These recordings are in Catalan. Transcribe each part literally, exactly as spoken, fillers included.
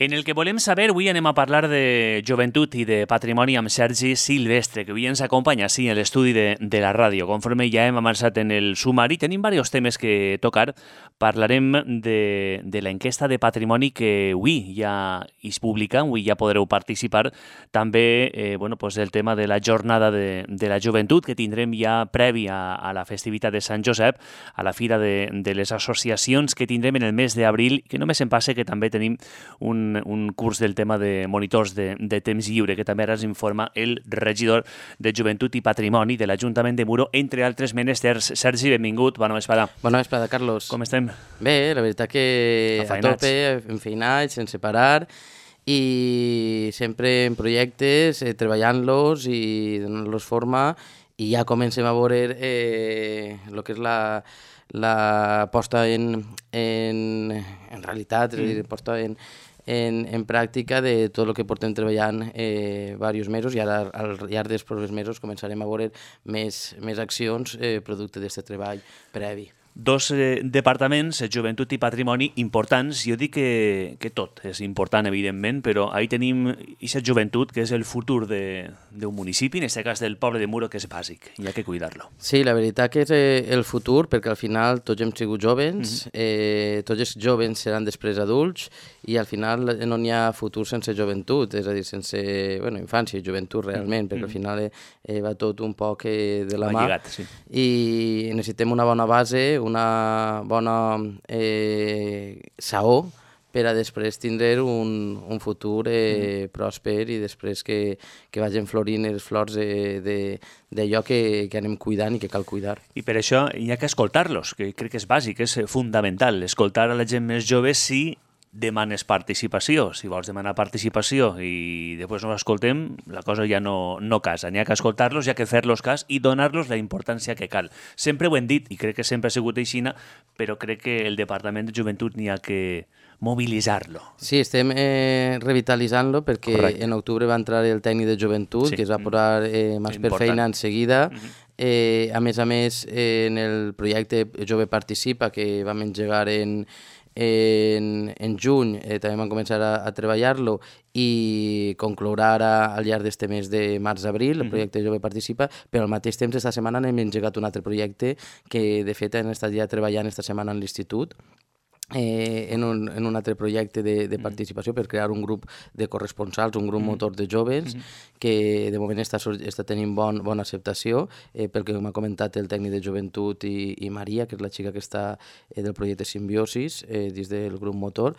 En el que volem saber, avui anem a parlar de joventut i de patrimoni amb Sergi Silvestre, que avui ens acompanya sí, a l'estudi de, de la ràdio. Conforme ja hem avançat en el sumari, tenim diversos temes que tocar. Parlarem de, de l'enquesta de patrimoni que avui ja es publica, avui ja podreu participar. També eh, bueno, pues el tema de la jornada de, de la joventut, que tindrem ja previ a, a la festivitat de Sant Josep, a la fira de, de les associacions que tindrem en el mes d'abril, que només em passa que també tenim un un curs del tema de monitors de, de temps lliure, que també ara ens informa el regidor de Joventut i Patrimoni de l'Ajuntament de Muro, entre altres menesters. Sergi, benvingut, bona vesprada. Bona vesprada, Carlos. Com estem? Bé, la veritat que a tope, enfeinats, sense parar, i sempre en projectes, eh, treballant-los i donant-los forma, i ja comencem a veure eh, el que és la, la posta en, en, en realitat, és a dir, posta en, En, en pràctica de tot el que portem treballant eh, diversos mesos, i ara al llarg dels propers mesos començarem a veure més, més accions eh, producte d'aquest treball previ. Dos eh, departaments, Joventut i Patrimoni, importants. Jo dic que, que tot és important, evidentment, però ahí tenim aquesta joventut, que és el futur d'un municipi, en aquest cas del poble de Muro, que és bàsic, i ha que cuidar-lo. Sí, la veritat que és eh, el futur, perquè al final tots hem sigut jovens, mm-hmm. eh, tots els jovens seran després adults, i al final no n'hi ha futur sense joventut, és a dir, sense bueno, infància i joventut realment, mm-hmm. perquè al final eh, va tot un poc eh, de la va mà, lligat, sí. I necessitem una bona base, una bona eh, saó per a després tindre un, un futur eh, mm. pròsper, i després que, que vagin florint els flors d'allò que, que anem cuidant i que cal cuidar. I per això hi ha que escoltar-los, que crec que és bàsic, és fundamental. Escoltar a la gent més jove si demanes participació. Si vols demanar participació i després no l'escoltem, la cosa ja no, no casa. N'hi ha que escoltar-los, hi ha que fer-los cas i donar-los la importància que cal. Sempre ho hem dit, i crec que sempre ha sigut així, però crec que el Departament de Joventut n'hi ha que mobilitzar-lo. Sí, estem eh, revitalitzant-lo perquè Correcte. En octubre va entrar el tècnic de joventut, sí. que es va posar eh, més per feina en seguida. Mm-hmm. eh, a més a més, eh, en el projecte Jove Participa, que vam engegar en En, en juny, eh, també vam començar a, a treballar-lo i conclourà ara al llarg d'este mes de març-abril, el projecte Jove Participa, però al mateix temps esta setmana hem engegat un altre projecte que de fet hem estat ja treballant esta setmana en l'institut, Eh, en, un, en un altre projecte de, de participació per crear un grup de corresponsals, un grup motor de joves, que de moment està, està tenint bon, bona acceptació, eh, pel que m'ha comentat el tècnic de joventut i, i Maria, que és la xica que està eh, del projecte Simbiosis, eh, dins del grup motor,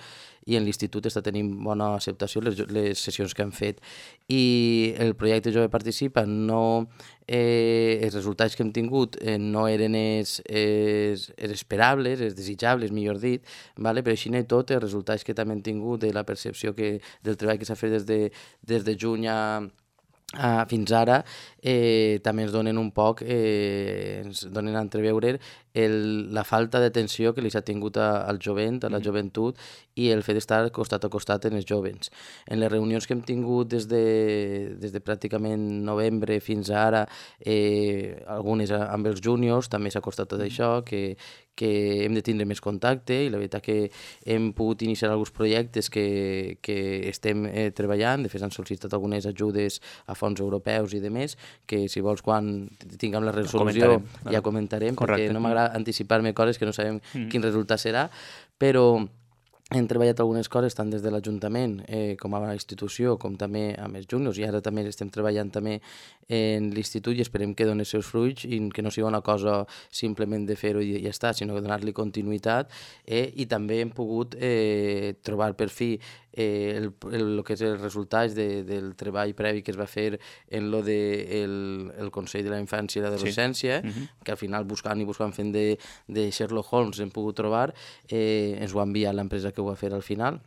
i en l'institut està tenint bona acceptació les, les sessions que han fet. I el projecte Jove Participa no... Eh, els resultats que hem tingut eh, no eren els, els, els esperables, els desitjables, millor dit, vale? Però així i tot, els resultats que també hem tingut de la percepció que, del treball que s'ha fet des de, des de juny a, a, fins ara, eh, també ens donen un poc, eh, ens donen a entreveure el, la falta d'atenció que li s'ha tingut a, al jovent, a la joventut, i el fet d'estar costat a costat en els jovens. En les reunions que hem tingut des de, des de pràcticament novembre fins a ara, eh, algunes amb els júniors, també s'ha costat tot això, que, que hem de tindre més contacte, i la veritat que hem pogut iniciar alguns projectes que, que estem eh, treballant. De fet, han sol·licitat algunes ajudes a fons europeus i demés, que si vols quan tinguem la resolució comentarem. ja comentarem, Correcte. Perquè no m'agrada anticipar-me coses que no sabem mm. quin resultat serà, però hem treballat algunes coses tant des de l'Ajuntament eh, com a institució, com també amb els juniors, i ara també estem treballant també en l'institut i esperem que doni els seus fruits i que no sigui una cosa simplement de fer-ho i ja està, sinó que donar-li continuïtat, eh, i també hem pogut eh, trobar per fi eh, el, el, el que és els resultats de, del treball previ que es va fer en lo de el, el Consell de la Infància i l'Adolescència, sí. uh-huh. que al final buscant i buscant fent de, de Sherlock Holmes hem pogut trobar, eh, ens ho ha enviat l'empresa que ho va fer al final,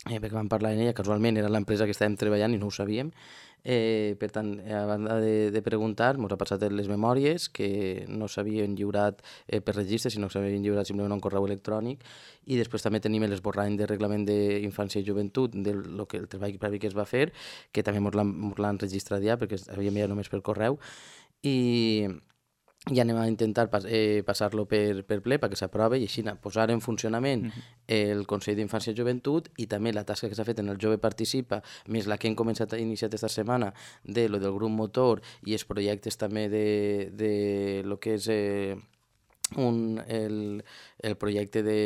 eh, perquè vam parlar en ella, casualment era l'empresa que estàvem treballant i no ho sabíem. Eh, per tant, a banda de, de preguntar, ens ha passat les memòries que no s'havien lliurat eh, per registre, sinó que s'havien lliurat simplement un correu electrònic, i després també tenim l'esborrany de reglament d'infància i joventut del lo que, el treball previ que es va fer, que també ens l'han registrat ja, perquè havíem enviat només per correu, i i anem a intentar pas, eh, passar-lo per, per ple perquè s'aprovi i així posar en funcionament uh-huh. el Consell d'Infància i Joventut i també la tasca que s'ha fet en el Jove Participa, més la que hem començat a iniciar aquesta setmana de lo del grup motor i els projectes també de, de lo que és eh, un, el, el projecte de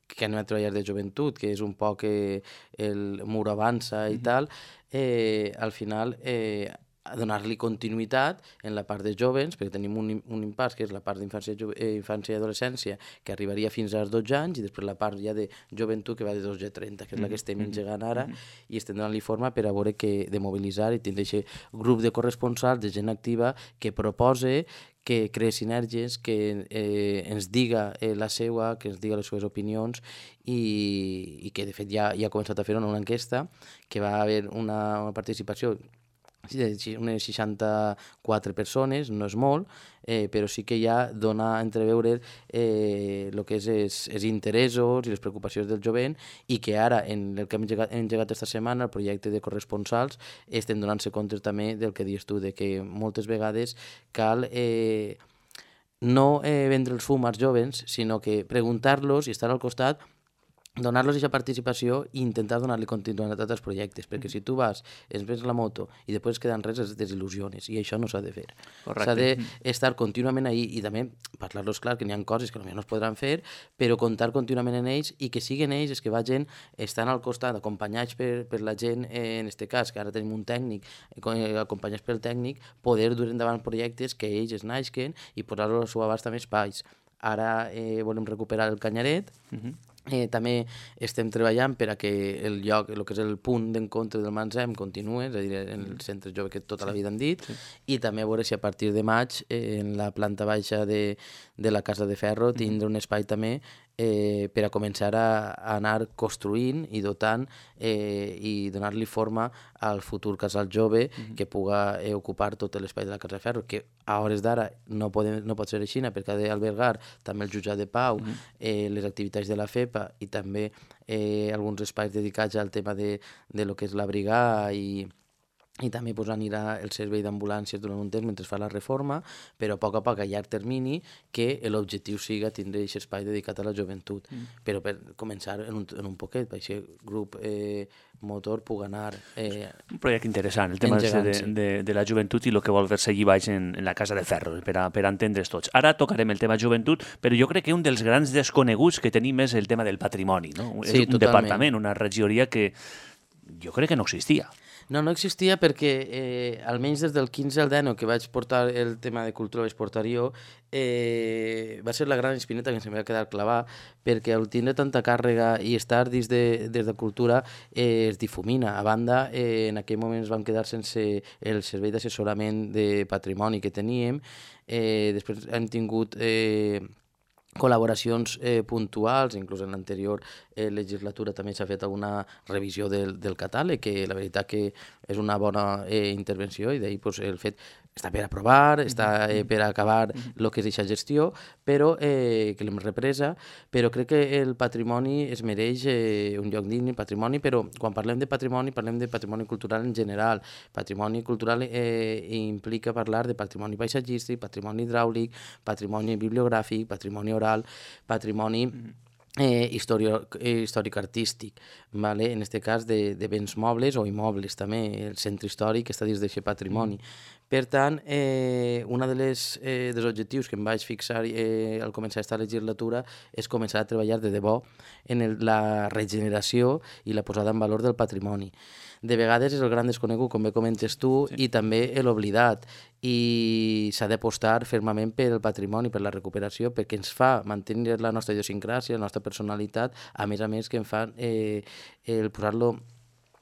que anem a treballar de joventut, que és un poc eh, el Mur Avança i uh-huh. tal, eh, al final eh, a donar-li continuïtat en la part de jovens, perquè tenim un, un impàs que és la part d'infància eh, infància i adolescència, que arribaria fins als dotze anys, i després la part ja de joventut que va de dotze a trenta, que és la que estem engegant ara, i estem donant-li forma per a veure que de mobilitzar i tindre aquest grup de corresponsals, de gent activa, que propose, que creï sinergies, que eh, ens diga eh, la seva, que ens diga les seves opinions i, i que de fet ja, ja ha començat a fer una enquesta, que va haver una, una participació unes seixanta-quatre persones, no és molt, eh, però sí que ja dona a entreveure eh, el que és els, els interessos i les preocupacions del jovent i que ara, en el que hem engegat, hem engegat esta setmana, el projecte de corresponsals, estem donant-se compte també del que dius tu, de que moltes vegades cal eh, no eh, vendre el fum als jovens, sinó que preguntar-los i estar al costat, donar-los aquesta participació i intentar donar-li continuïtat als projectes, perquè si tu vas, es ves la moto i després es queden res, es desil·lusiones, i això no s'ha de fer. S'ha d'estar contínuament ahí i també parlar-los clar que n'hi ha coses que potser no es podran fer, però comptar contínuament en ells i que siguin ells els que vagin estan al costat, acompanyats per, per la gent, eh, en aquest cas, que ara tenim un tècnic, eh, acompanyats pel tècnic, poder dur endavant projectes que ells es naixen i posar-los al seu abast amb espais. Ara eh, volem recuperar el Canyaret, uh-huh. Eh, també estem treballant per a que el lloc, el que és el punt d'encontre del Mansem continue, és a dir, en el centre jove que tota la vida han dit, sí. I també a veure si a partir de maig eh, en la planta baixa de, de la Casa de Ferro tindre un espai també eh, per a començar a, a anar construint i dotant eh, i donar-li forma al futur casal jove mm-hmm. que puga eh, ocupar tot l'espai de la Casa de Ferro, que a hores d'ara no, podem, no pot ser així perquè ha d'albergar també el jutjat de pau, mm-hmm. eh, les activitats de la FEPA i també eh, alguns espais dedicats al tema de, de lo que és la brigada i i també pues, anirà el servei d'ambulàncies durant un temps mentre es fa la reforma, però a poc a poc a llarg termini que l'objectiu siga tindre aquest espai dedicat a la joventut, mm. però per començar en un, en un poquet, per aquest grup eh, motor pugui anar... Eh, un projecte interessant, el tema de, de, de la joventut i el que vol fer-se allí baix en, en la Casa de Ferro, per a, per a entendre's tots. Ara tocarem el tema joventut, però jo crec que un dels grans desconeguts que tenim és el tema del patrimoni, no? Sí, és un totalment. Departament, una regidoria que jo crec que no existia. No, no existia perquè eh, almenys des del quinze al dinou que vaig portar el tema de cultura, vaig portar jo, eh, va ser la gran espineta que em va quedar clavar, perquè al tindre tanta càrrega i estar dins de, des de cultura eh, es difumina. A banda, eh, en aquell moment es vam quedar sense el servei d'assessorament de patrimoni que teníem, eh, després hem tingut... Eh, col·laboracions eh, puntuals, inclús en l'anterior eh, legislatura també s'ha fet alguna revisió del, del catàleg, que la veritat que és una bona eh, intervenció i d'ahir pues, el fet està per aprovar, està eh, per acabar el que és aquesta gestió, però eh, que l'hem represa, però crec que el patrimoni es mereix eh, un lloc digne, patrimoni, però quan parlem de patrimoni parlem de patrimoni cultural en general. Patrimoni cultural eh, implica parlar de patrimoni paisatgístic, patrimoni hidràulic, patrimoni bibliogràfic, patrimoni oral, patrimoni eh, històric-artístic, vale? En aquest cas de, de béns mobles o immobles també, el centre històric està dins d'aquest patrimoni. Per tant, eh, un de les, eh, dels objectius que em vaig fixar eh, al començar aquesta legislatura és començar a treballar de debò en el, la regeneració i la posada en valor del patrimoni. De vegades és el gran desconegut, com bé comentes tu, sí. I també l'oblidat. I s'ha d'apostar fermament per el patrimoni, per la recuperació, perquè ens fa mantenir la nostra idiosincràsia, la nostra personalitat, a més a més que em fa eh, el posar-lo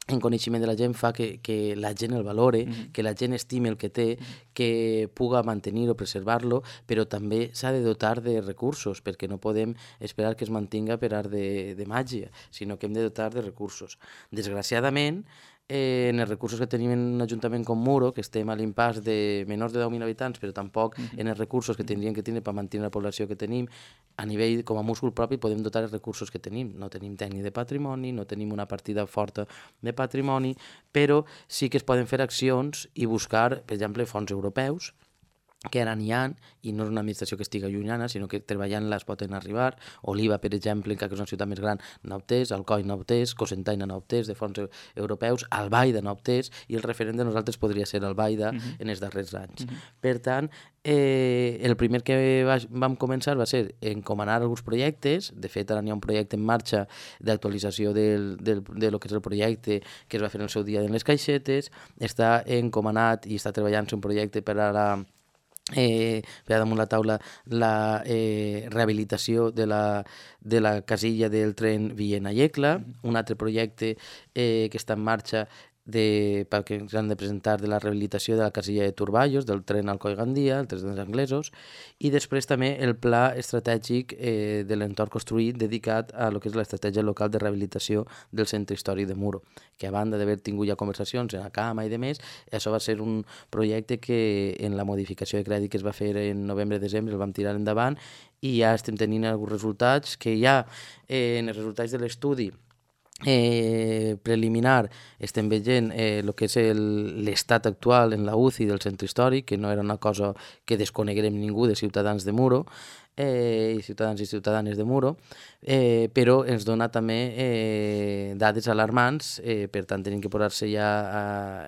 en coneixement de la gent fa que, que la gent el valore, mm-hmm. que la gent estime el que té, mm-hmm. que puga mantenir-ho, preservar-lo, però també s'ha de dotar de recursos, perquè no podem esperar que es mantinga per art de, de màgia, sinó que hem de dotar de recursos. Desgraciadament, eh, en els recursos que tenim en un ajuntament com Muro, que estem a l'impàs de menys de deu mil habitants, però tampoc mm-hmm. en els recursos que tindríem que tenir per mantenir la població que tenim, a nivell com a múscul propi podem dotar els recursos que tenim. No tenim tècnic de patrimoni, no tenim una partida forta de patrimoni, però sí que es poden fer accions i buscar, per exemple, fons europeus que ara n'hi ha, i no és una administració que estigui llunyana, sinó que treballant-la es poden arribar. Oliva, per exemple, que és una ciutat més gran, n'ha obtès, Alcoi n'ha obtès, Cocentaina n'ha obtès, de fons europeus, Albaida n'ha obtès, i el referent de nosaltres podria ser Albaida uh-huh. en els darrers anys. Uh-huh. Per tant, eh, el primer que va, vam començar va ser encomanar alguns projectes. De fet, ara n'hi ha un projecte en marxa d'actualització del, del, de lo que és el projecte que es va fer en el seu dia en les caixetes. Està encomanat i està treballant-se un projecte per a la Eh, per damunt la taula la eh, rehabilitació de la, de la casilla del tren Villena-Iecla, un altre projecte eh, que està en marxa de, que ens han de presentar de la rehabilitació de la casilla de Turballos, del tren Alcoi-Gandia, el tren dels anglesos, i després també el pla estratègic eh, de l'entorn construït dedicat a lo que és l'estratègia local de rehabilitació del centre històric de Muro, que a banda d'haver tingut ja conversacions en la Cama i demés, això va ser un projecte que en la modificació de crèdit que es va fer en novembre-desembre el vam tirar endavant i ja estem tenint alguns resultats que ja eh, en els resultats de l'estudi Eh, preliminar estem veient eh, el que és l'estat actual en la U C I del centre històric, que no era una cosa que desconeguerem ningú de ciutadans de Muro eh, i ciutadans i ciutadanes de Muro, eh, però ens dona també eh, dades alarmants, eh, per tant tenim que posar-se ja a,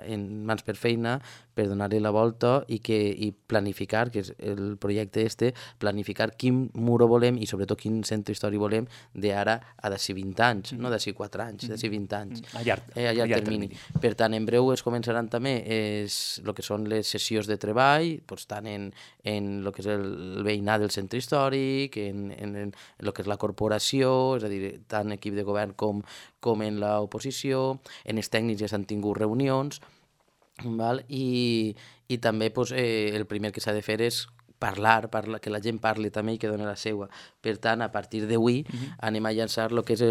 en mans per feina per donar-li la volta i, que, i planificar, que és el projecte este, planificar quin Muro volem i sobretot quin centre històric volem d'ara a d'ací vint anys, no d'ací quatre anys, d'ací vint anys, a llarg, eh, a llarg termini. termini. Per tant, en breu es començaran també es, el que són les sessions de treball, doncs, tant en, en el que és el, el veïnat del centre històric, en, en, en el que és la corporació, és a dir, tant equip de govern com, com en l'oposició, en els tècnics ja s'han tingut reunions, val? I, i també doncs, eh, el primer que s'ha de fer és parlar, parla, que la gent parli també i que doni la seva. Per tant, a partir d'avui uh-huh. anem a llançar el que és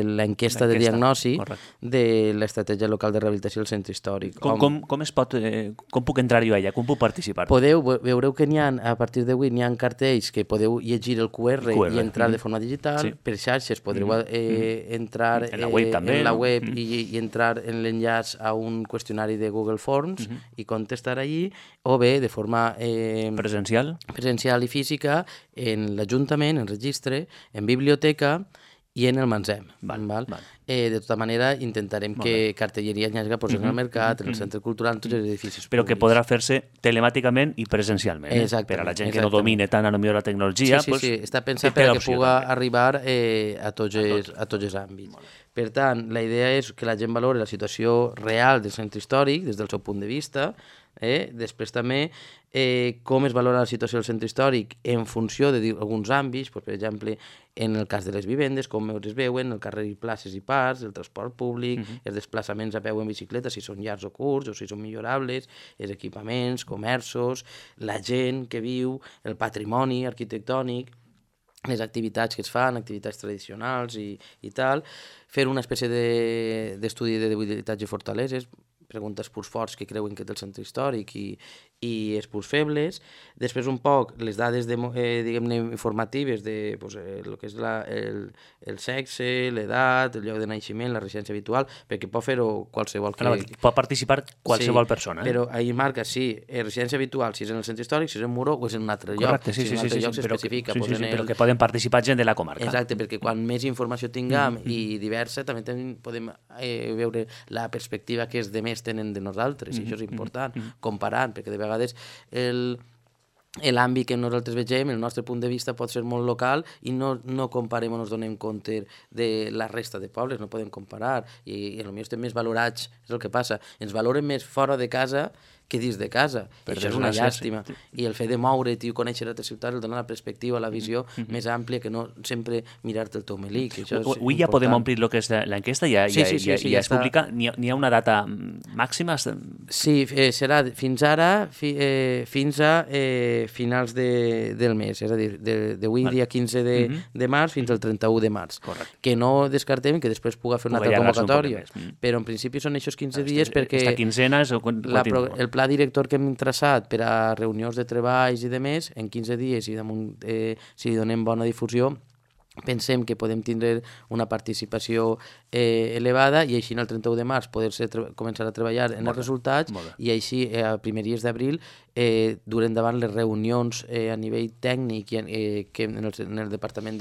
l'enquesta de diagnosi Correcte. De l'estratègia local de rehabilitació del centre històric. Com, com, com es pot, eh, com puc entrar jo allà? Com puc participar? Podeu, veureu que n'hi ha, a partir d'avui n'hi ha cartells que podeu llegir el Q R, Q R. i entrar uh-huh. de forma digital. Sí. Per xarxes podreu uh-huh. eh, entrar en la web, eh, també, en la no? web uh-huh. i, i entrar en l'enllaç a un qüestionari de Google Forms uh-huh. i contestar allí, o bé de forma eh, presencial presencial i física en l'Ajuntament, en registre, en biblioteca i en el Mansem. Val, val? Val. Eh, de tota manera, intentarem Molt que bé. cartelleria n'hi hagi posar mm-hmm. en el mercat, en el centre cultural, en tots els edificis Però públics. que podrà fer-se telemàticament i presencialment. Eh? Per a la gent que no domine tant a lo millor la tecnologia. Sí, sí, pues, sí. Està pensat per a que puga també. arribar eh, a, tots els, a tots els àmbits. Per tant, la idea és que la gent valori la situació real del centre històric des del seu punt de vista. Eh? Després també eh, com es valora la situació del centre històric en funció d'alguns àmbits, doncs, per exemple, en el cas de les vivendes, com es veuen, el carrer i places i parcs, el transport públic, uh-huh. els desplaçaments a peu en bicicleta, si són llargs o curts o si són millorables, els equipaments, comerços, la gent que viu, el patrimoni arquitectònic, les activitats que es fan, activitats tradicionals i, i tal, fer una espècie d'estudi de, de debilitats i fortaleses, preguntes punts forts que creuen que té el centre històric i, i els punts febles. Després un poc les dades de, eh, diguem-ne informatives de pues, eh, el que és la, el, el sexe, l'edat, el lloc de naixement, la residència habitual, perquè pot fer-ho qualsevol que... Clar, pot participar qualsevol sí, persona. Eh? Però ahir marca sí, eh, residència habitual, si és en el centre històric, si és en Muro o és en un altre lloc. Correcte, sí, si sí, en un altre sí, lloc sí, s'especifica. Sí, sí, sí, el... però que poden participar gent de la comarca. Exacte, perquè quan més informació tinguem mm-hmm. i diversa, també ten, podem eh, veure la perspectiva que els demés tenen de nosaltres, mm-hmm. i això és important, mm-hmm. comparant, perquè de vegades el... l'àmbit que nosaltres vegem, el nostre punt de vista pot ser molt local i no, no comparem o no ens donem compte de la resta de pobles, no podem comparar i, i potser estem més valorats, és el que passa, ens valoren més fora de casa que dins de casa, i això és una llàstima sí. i el fet de moure't i conèixer altres ciutats el dona la perspectiva, la visió mm-hmm. més àmplia que no sempre mirar-te el teu melic. Avui ja podem omplir el que és l'enquesta, ja, sí, sí, sí, ja, sí, ja, ja es publica, n'hi ha, ha una data màxima? Sí, eh, serà fins ara fi, eh, fins a eh, finals de, del mes, és a dir, d'avui dia quinze de, mm-hmm. de març fins al trenta-u de març. Correcte. Que no descartem que després puga fer una altra convocatòria, un però en principi són aquests quinze dies perquè esta quinzena és la, el pla director que hem traçat per a reunions de treballs i de més, en quinze dies i damunt, eh, si donem bona difusió, pensem que podem tindre una participació eh, elevada i així el trenta-u de març poder-se començar a treballar en els resultats i així eh, a primeries d'abril eh, dur endavant les reunions eh, a nivell tècnic i, eh, que en, el, en el Departament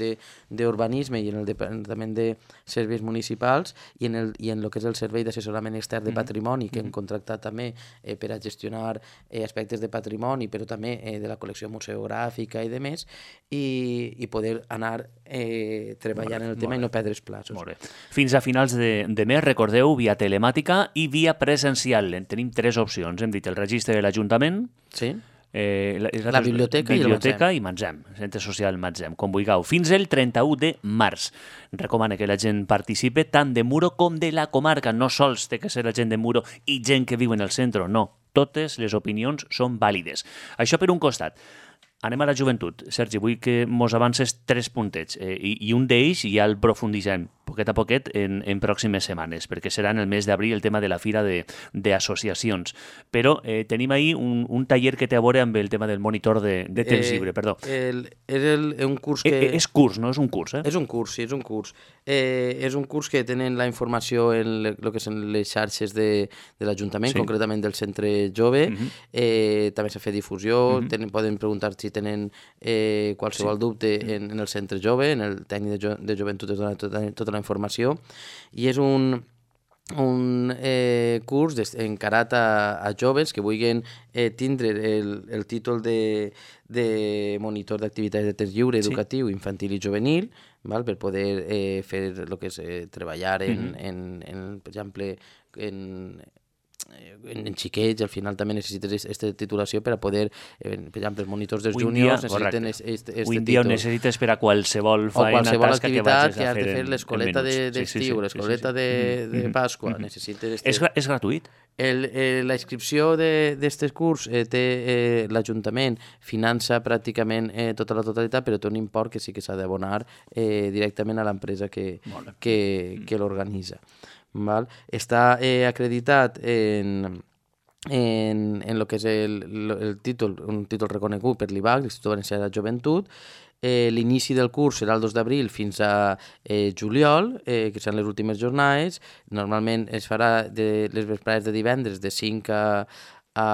d'Urbanisme i en el Departament de Serveis Municipals i en, el, i en el que és el Servei d'Assessorament Extern de Patrimoni, que hem contractat també eh, per a gestionar eh, aspectes de patrimoni, però també eh, de la col·lecció museogràfica i de més, i, i poder anar eh, treballant en el tema i no perdre els plaços. Molt bé. Fins a finals de, de mes, recordeu, via telemàtica i via presencial. Tenim tres opcions. Hem dit el registre de l'Ajuntament, sí. Eh, la, la biblioteca, biblioteca i el Matzem, Centre Social Matzem, com vulgueu, fins el trenta-u de març. Recomana que la gent participe tant de Muro com de la comarca. No sols té que ser la gent de Muro i gent que viu en el centre, no. Totes les opinions són vàlides. Això per un costat. Anem a la joventut. Sergi, vull que mos avances tres puntets eh, i, i un d'ells ja el profunditzem poquet a poquet en, en pròximes setmanes, perquè serà en el mes d'abril el tema de la fira d'associacions. Però eh, tenim ahir un, un taller que té a veure amb el tema del monitor de, de temps eh, lliure, perdó. El, és el, un curs que... Eh, és curs, no és un curs, eh? És un curs, sí, és un curs. Eh, és un curs que tenen la informació en el que són les xarxes de, de l'Ajuntament, sí. Concretament del Centre Jove. Uh-huh. eh, també s'ha fet difusió, uh-huh. tenen, poden preguntar si tenen eh, qualsevol sí. dubte en, en el Centre Jove, en el tècnic de, jo, de joventut es dona tota, tota la informació, i és un, un eh, curs encarat a, a joves que vulguin eh, tindre el, el títol de, de monitor d'activitats de temps lliure educatiu, sí. Infantil i juvenil, val? Per poder eh, fer el que és eh, treballar en, mm-hmm. en, en, per exemple, en... en, en xiquets, al final també necessites aquesta titulació per a poder, eh, per exemple, els monitors dels juniors necessiten aquest este títol. Un dia ho necessites per a qualsevol feina, o qualsevol tasca activitat que, que has de fer, l'escoleta d'estiu, de, sí, sí, sí, l'escoleta sí, sí, sí. de, de Pasqua, mm-hmm. necessites... Este... És, és gratuït? El, eh, la inscripció d'aquest curs eh, té eh, l'Ajuntament finança pràcticament eh, tota la totalitat, però té un import que sí que s'ha d'abonar eh, directament a l'empresa que, que, que l'organitza. Val? Està eh, acreditat en, en, en lo que és el, el títol, un títol reconegut per l'I B A C, l'Institut Valencià de la Joventut. Eh, l'inici del curs serà el dos d'abril fins a eh, juliol, eh, que seran les últimes jornades. Normalment es farà de les vesprades de divendres de cinc a, a,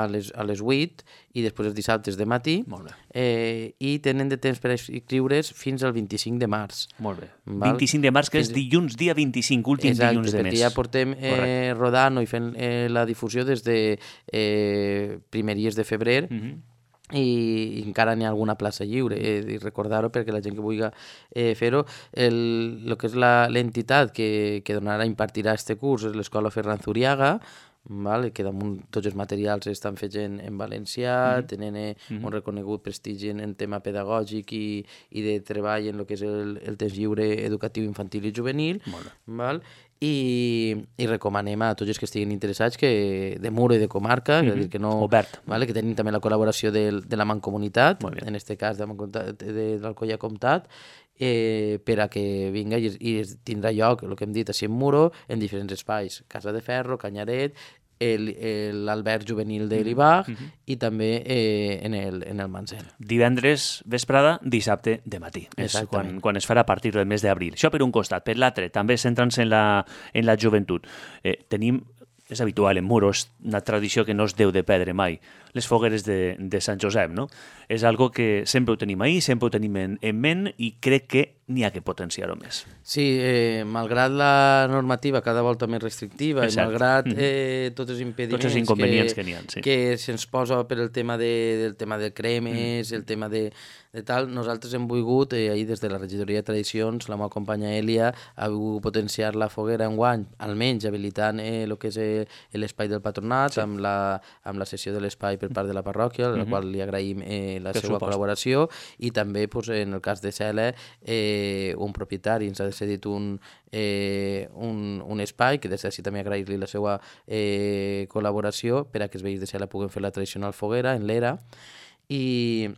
a, les, a les vuit i després els dissabtes de matí. Molt bé. Eh, I tenen de temps per inscriure's fins al vint-i-cinc de març. Molt bé. Val? vint-i-cinc de març, que és dilluns dia vint-i-cinc, últim Exacte, dilluns de mes. Exacte, perquè ja portem eh, rodant i fent eh, la difusió des de eh, primeries de febrer, mm-hmm. i encara n'hi ha alguna plaça lliure, eh, i recordar-ho perquè la gent que vulgui eh, fer-ho. El, el que és l'entitat que, que donarà, impartirà este curs és l'Escola Ferran Zuriaga, vale? Que damunt tots els materials estan fets en, en valencià, mm-hmm. tenen eh, mm-hmm. un reconegut prestigi en, en tema pedagògic i, i de treball en el que és el, el temps lliure educatiu infantil i juvenil. Val? I, i recomanem a tots els que estiguin interessats que de Muro i de comarca, mm-hmm. és a dir, que no, obert, vale? Que tenim també la col·laboració de, de la Mancomunitat, en aquest cas de, de, de l'Alcoia Comtat, eh, per a que vinga i, i tindrà lloc, el que hem dit, així en Muro, en diferents espais, Casa de Ferro, Canyaret, l'alberg juvenil de l'I B A C mm-hmm. i també eh, en el, en el Matzem. Divendres vesprada, dissabte de matí. És quan, quan es farà a partir del mes d'abril. Això per un costat. Per l'altre, també centrant-se en la, en la joventut. Eh, tenim, és habitual en Muro, és una tradició que no es deu de perdre mai, les fogueres de, de Sant Josep, no? És algo que sempre ho tenim ahí, sempre ho tenim en, en ment i crec que n'hi ha que potenciar-ho més. Sí, eh, malgrat la normativa cada volta més restrictiva i malgrat eh, tots els impediments tots els inconvenients que, que n'hi ha, sí. que se'ns posa per el tema de, del tema de cremes, mm. el tema de, de tal, nosaltres hem volgut, eh, ahir des de la regidoria de tradicions, la meva companya Elia ha volgut potenciar la foguera enguany, almenys habilitant eh, el que és eh, l'espai del patronat, sí. amb, la, amb la sessió de l'espai per part de la parròquia, a la mm-hmm. qual li agraïm eh, la per seva supost. col·laboració, i també pues, en el cas de Cela eh, un propietari ens ha cedit un, eh, un, un espai, que des d'ací també agrair-li la seva eh, col·laboració per a que els veïns de Cela puguen fer la tradicional foguera en l'era, i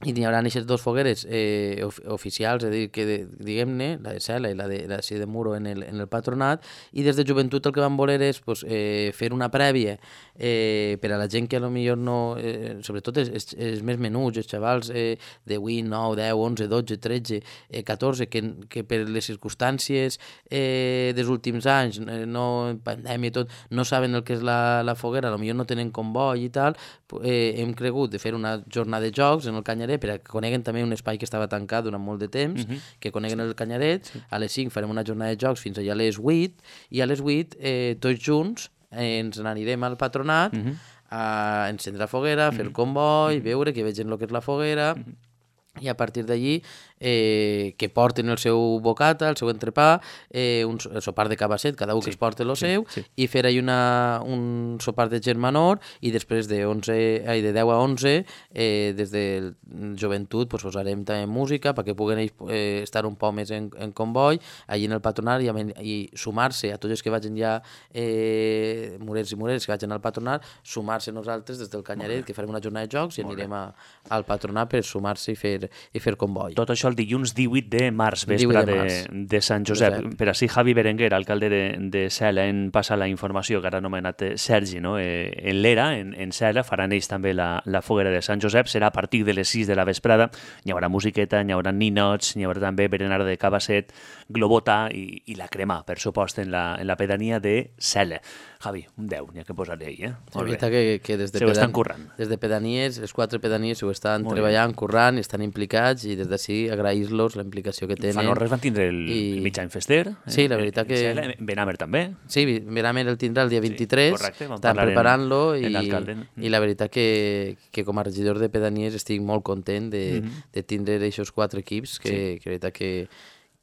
i hi haurà aquestes dues fogueres eh, of oficials, és a dir, que diguem-ne, la de Cela i la de, la de Muro en el, en el patronat, i des de joventut el que van voler és pues, eh, fer una prèvia eh, per a la gent que potser no, eh, sobretot els, els, els més menuts, els xavals eh, de vuit, nou, deu, onze, dotze, tretze, eh, catorze, que, que per les circumstàncies eh, dels últims anys, eh, no, pandèmia i tot, no saben el que és la, la foguera, potser no tenen comboi i tal, eh, hem cregut de fer una jornada de jocs en el Canyaret per a que coneguen també un espai que estava tancat durant molt de temps, uh-huh. que coneguen el Canyaret. Sí. A les cinc farem una jornada de jocs fins allà a les vuit, i a les vuit eh, tots junts eh, ens n'anirem al patronat uh-huh. a encendre la foguera, a fer el comboi, uh-huh. veure que vegin el que és la foguera, uh-huh. i a partir d'allí eh, que porten el seu bocata, el seu entrepà, eh, un, el sopar de cabasset, cada un sí, que es porta el sí, seu, sí. i fer ahí una, un sopar de germanor, i després de, onze, ai, de deu a onze, eh, des de joventut pues, posarem també música perquè puguen eh, estar un poc més en, en comboi, allí en el patronat, i, i sumar-se a tots els que vagin ja, eh, morers i moreres que vagin al patronat, sumar-se nosaltres des del Canyaret, que farem una jornada de jocs, i anirem a, al patronat per sumar-se i fer i fer comboi. Tot això el dilluns divuit de març, vespre de, març. de, de Sant Josep. Josep. Per així, Javi Berenguer, alcalde de, de Cela, en passa la informació que ara ha anomenat Sergi, no? Eh, en l'era, en, en Cela, faran ells també la, la foguera de Sant Josep, serà a partir de les sis de la vesprada, hi haurà musiqueta, hi haurà ninots, hi haurà també berenar de cabasset, globota i, i la crema, per supost, en la, en la pedania de Cela. Javi, un deu, n'hi ha que posar-hi, eh? És veritat que, que des de, se ho estan currant. Des de pedanies, les quatre pedanies ho estan Molt treballant, bé. currant, estan implicats, i des d'ací agrair-los la implicació que tenen. Fanorres van tindre el, I... el mig any fester. Sí, la veritat que... En Benamer també. Sí, Benamer el tindrà el dia vint-i-tres, sí, correcte, estan preparant-lo, i, i la veritat que, que com a regidor de pedanies estic molt content de, mm-hmm. de tindre aquests quatre equips, que, sí. que la veritat que...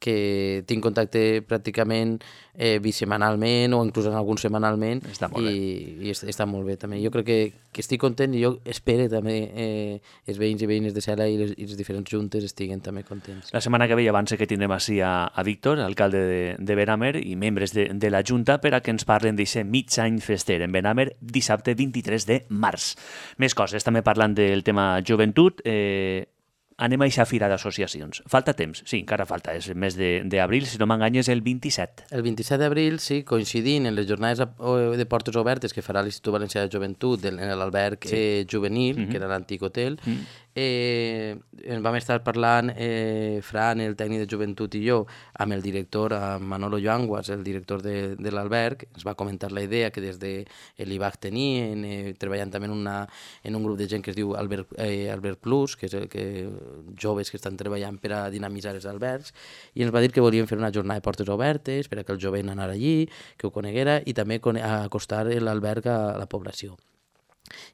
que tinc contacte pràcticament eh, bisemanalment o inclús en algun setmanalment, està molt i, bé. i està, està molt bé també. Jo crec que, que estic content, i jo espero també eh, els veïns i veïnes de Cela i les, i les diferents juntes estiguen també contents. La setmana que ve abans que tindrem així a, a Víctor, alcalde de, de Benamer, i membres de, de la Junta per a que ens parlen d'aquest mig any fester en Benamer, dissabte vint-i-tres de març. Més coses, també parlant del tema joventut, eh, anem a aquesta fira d'associacions. Falta temps? Sí, encara falta. És el mes d'abril, si no m'enganyes, el vint-i-set. El vint-i-set d'abril, sí, coincidint en les jornades de portes obertes que farà l'Institut Valencià de Joventut en l'alberg sí. eh, juvenil, mm-hmm. que era l'antic hotel, mm-hmm. eh, en vam estar parlant eh, Fran, el tècnic de joventut, i jo, amb el director, amb Manolo Lluanguas, el director de, de l'alberg. Ens va comentar la idea que des de l'I B A C tenien, eh, treballant també en, una, en un grup de gent que es diu Albert, eh, Albert Plus, que és el que joves que estan treballant per a dinamitzar els albergs, i ens va dir que volien fer una jornada de portes obertes per a que el jovent anara allí, que ho coneguera, i també acostar l'alberg a la població.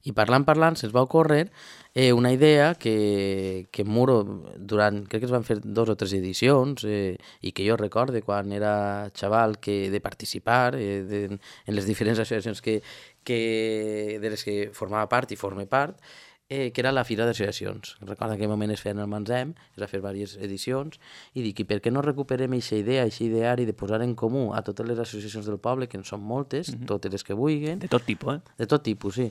I parlant, parlant, se'ns va ocórrer eh, una idea que, que Muro, durant, crec que es van fer dos o tres edicions, eh, i que jo recorde quan era xaval, que de participar eh, de, en les diferents associacions que, que, de les que formava part i forme part, Eh, que era la Fira d'Associacions. Recordo en aquell moment es feien el Manzem, es va fer diverses edicions, i dic, i per què no recuperem aquesta idea, aquest ideari de posar en comú a totes les associacions del poble, que en són moltes, mm-hmm. totes les que vulguin. De tot tipus, eh? De tot tipus, sí.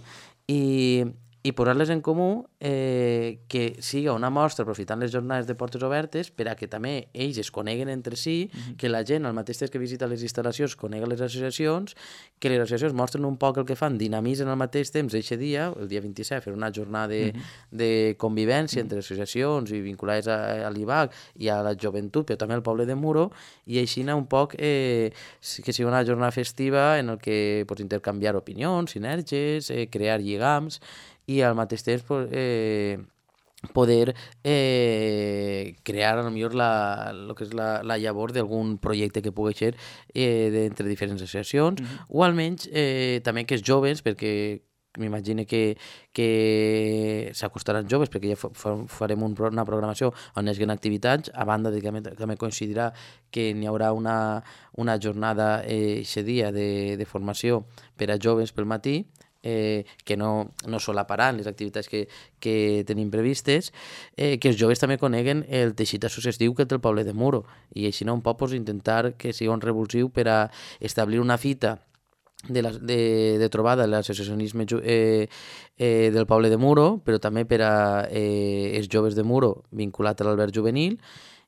I, i posar-les en comú, eh, que siga una mostra aprofitant les jornades de portes obertes per a que també ells es coneguen entre si, mm-hmm. que la gent, al mateix temps que visita les instal·lacions, conega les associacions, que les associacions mostren un poc el que fan, dinamitzen al mateix temps eixe dia, el dia vint-i-set, fer una jornada de, mm-hmm. de convivència mm-hmm. entre associacions i vinculades a, a l'I B A C i a la joventut, però també al poble de Muro, i així un poc eh, que sigui una jornada festiva en el que pots intercanviar opinions, sinergies, eh, crear lligams, i al mateix temps eh, poder eh, crear a lo millor la, lo que és la, la llavor d'algun projecte que pugui ser eh, d'entre diferents associacions, mm-hmm. o almenys eh, també que els joves, perquè m'imagino que, que s'acostaran joves, perquè ja farem un, una programació on hi hagi activitats, a banda de que també coincidirà que n'hi haurà una, una jornada aquest eh, dia de, de formació per a joves pel matí, Eh, que no, no solaparan les activitats que, que tenim previstes, eh, que els joves també coneguen el teixit associatiu que té el poble de Muro, i així no un poc pues, intentar que sigui un revulsiu per a establir una fita de, la, de, de trobada l'associacionisme eh, eh, del poble de Muro, però també per a eh, els joves de Muro vinculat a l'alberg juvenil,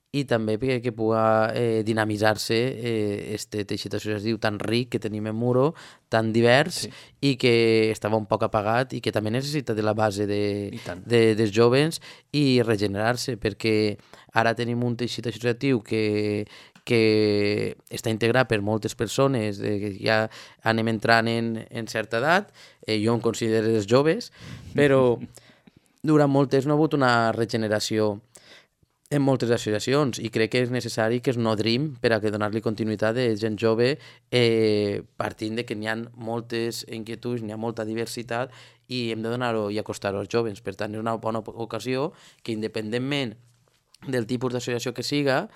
i també perquè que pugui eh, dinamitzar-se aquest eh, teixit associatiu tan ric que tenim en Muro, tan divers, sí. I que estava un poc apagat i que també necessita de la base de, de, dels joves i regenerar-se, perquè ara tenim un teixit associatiu que, que està integrat per moltes persones, eh, que ja anem entrant en, en certa edat, eh, jo em considero els joves, però durant molt temps no ha hagut una regeneració en moltes associacions i crec que és necessari que es nodrim per a que donar-li continuïtat de gent jove eh, partint de que n'hi ha moltes inquietuds, n'hi ha molta diversitat i hem de donar-ho i acostar-ho als joves. Per tant, és una bona ocasió que independentment del tipus d'associació que siga,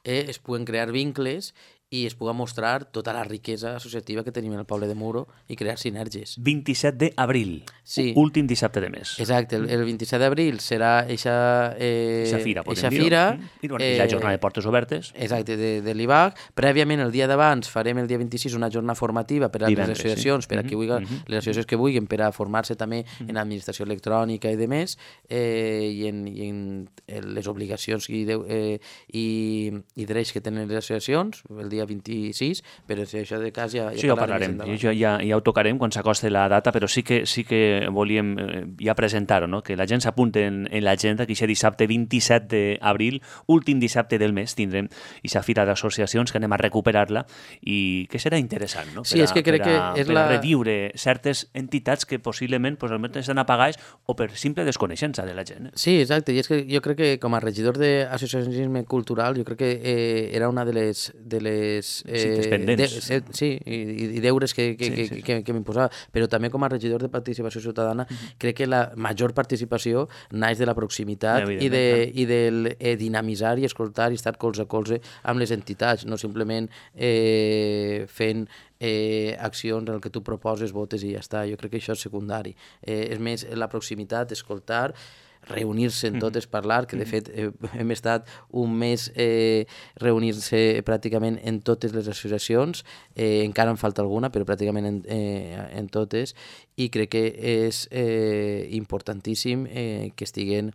eh, es puguen crear vincles i es pugui mostrar tota la riquesa associativa que tenim en el poble de Muro i crear sinergies. vint-i-set d'abril, sí. Últim dissabte de mes. Exacte, el, el vint-i-set d'abril serà eixa eh, fira, eixa fira I, bueno, eh, i la jornada de portes obertes. Exacte, de, de l'I B A C. Prèviament, el dia d'abans, farem el dia vint-i-sis una jornada formativa per a Divendres, les associacions, sí. per a qui vulgui, mm-hmm. les associacions que vulguin, per a formar-se també mm-hmm. en administració electrònica i demés, eh, i, en, i en les obligacions i, de, eh, i, i drets que tenen les associacions, el dia vint-i-sis, però si això de cas ja, ja sí, parlarem. parlarem. Ja, ja, ja ho tocarem quan s'acosti la data, però sí que, sí que volíem eh, ja presentar-ho, no? Que la gent s'apunti en, en l'agenda, que aquest dissabte vint-i-set d'abril, últim dissabte del mes, tindrem aquesta fira d'associacions que anem a recuperar-la i que serà interessant, no? Sí, per a, és que crec per a, que és per la... a reviure certes entitats que possiblement pues, estan apagades o per simple desconeixença de la gent. Eh? Sí, exacte, i és que jo crec que com a regidor d'associacionisme cultural, jo crec que eh, era una de les, de les Eh, sí, pendents. De, sí, i, i deures que, que, sí, sí. que, que, que m'imposava. Però també com a regidor de participació ciutadana, mm-hmm. crec que la major participació naix de la proximitat i de, i del eh, dinamitzar i escoltar i estar colze a colze amb les entitats, no simplement eh, fent eh, accions en el que tu proposes, votes i ja està. Jo crec que això és secundari. Eh, és més la proximitat, escoltar, reunir-se en totes, parlar, que de fet eh, hem estat un mes eh, reunir-se pràcticament en totes les associacions, eh, encara en falta alguna, però pràcticament en, eh, en totes, i crec que és eh, importantíssim eh, que estiguen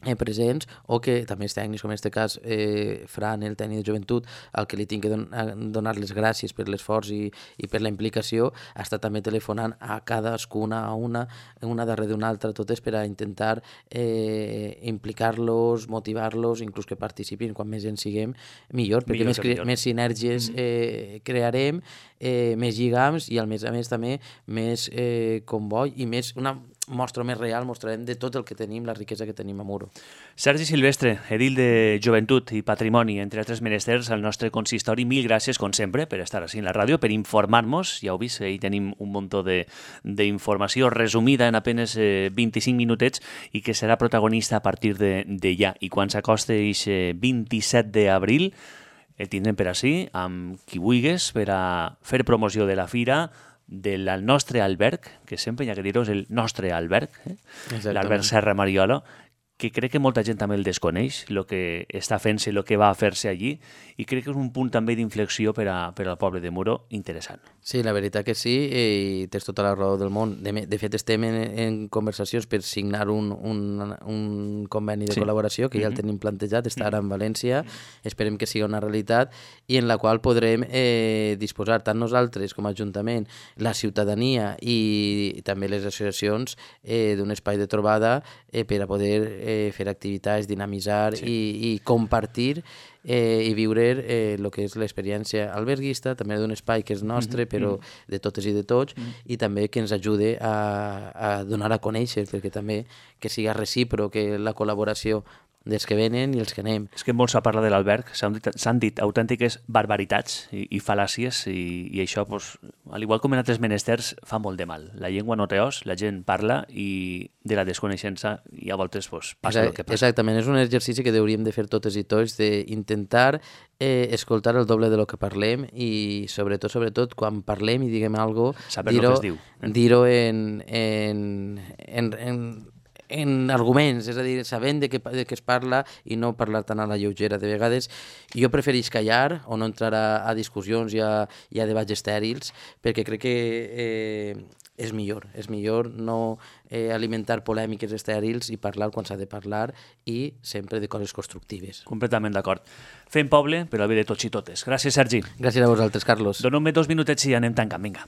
eh, presents, o que també els tècnics, com en aquest cas eh, Fran, el tècnic de joventut, al que li tinc que don donar les gràcies per l'esforç i, i per la implicació, està també telefonant a cadascuna, a una, una darrere d'una altra, totes per a intentar eh, implicar-los, motivar-los, inclús que participin, quan més gent siguem, millor, perquè millor més, millor. més sinergies eh, crearem, eh, més lligams i, al més a més, també més eh, comboi i més una mostra més real, mostrarem de tot el que tenim, la riquesa que tenim a Muro. Sergi Silvestre, edil de Joventut i Patrimoni, entre altres menesters, al nostre consistori, mil gràcies, com sempre, per estar així en la ràdio, per informar-nos. Ja heu vist, ahí tenim un munt d'informació resumida en apenas eh, vint-i-cinc minutets i que serà protagonista a partir de, de ja. I quan s'acoste aquest vint-i-set d'abril, el tindrem per així, amb qui vulguis, per a fer promoció de la fira, del nostre alberg, que sempre hi ha que dir-ho, és el nostre alberg, eh? l'alberg Serra Mariola, que crec que molta gent també el desconeix, el que està fent-se, el que va a fer-se allí, i crec que és un punt també d'inflexió per, a, per al poble de Muro interessant. Sí, la veritat que sí, i tens tota la raó del món. De, de fet, estem en, en conversacions per signar un, un, un conveni de sí. col·laboració, que ja el tenim plantejat, està ara en València, esperem que sigui una realitat, i en la qual podrem eh, disposar tant nosaltres com a Ajuntament, la ciutadania i també les associacions eh, d'un espai de trobada eh, per a poder eh, fer activitats, dinamitzar sí. i, i compartir eh, i viure eh, el que és l'experiència alberguista, també d'un espai que és nostre, mm-hmm. però de totes i de tots, mm-hmm. i també que ens ajude a, a donar a conèixer, perquè també que siga recíproc, que la col·laboració dels que venen i els que anem. És que molt s'ha parlat de l'alberg, s'han dit, dit autèntiques barbaritats i, i fal·làcies, i, i això, pues, al igual com en altres menesters, fa molt de mal. La llengua no té os, la gent parla, i de la desconeixença i a voltes pues, passa Exact, el que passa. Exactament, és un exercici que hauríem de fer totes i tots, d'intentar eh, escoltar el doble de lo que parlem i sobretot, sobretot, quan parlem i diguem alguna cosa, dir-ho eh? dir en, en, en, en en arguments, és a dir, sabent de què, de què es parla i no parlar tan a la lleugera. De vegades jo prefereix callar o no entrar a, a discussions i a, i a debats estèrils, perquè crec que eh, és millor, és millor no eh, alimentar polèmiques estèrils i parlar quan s'ha de parlar i sempre de coses constructives. Completament d'acord. Fem poble, però a bé de tots i totes. Gràcies, Sergi. Gràcies a vosaltres, Carlos. Donem-me dos minutets i anem tancant, vinga.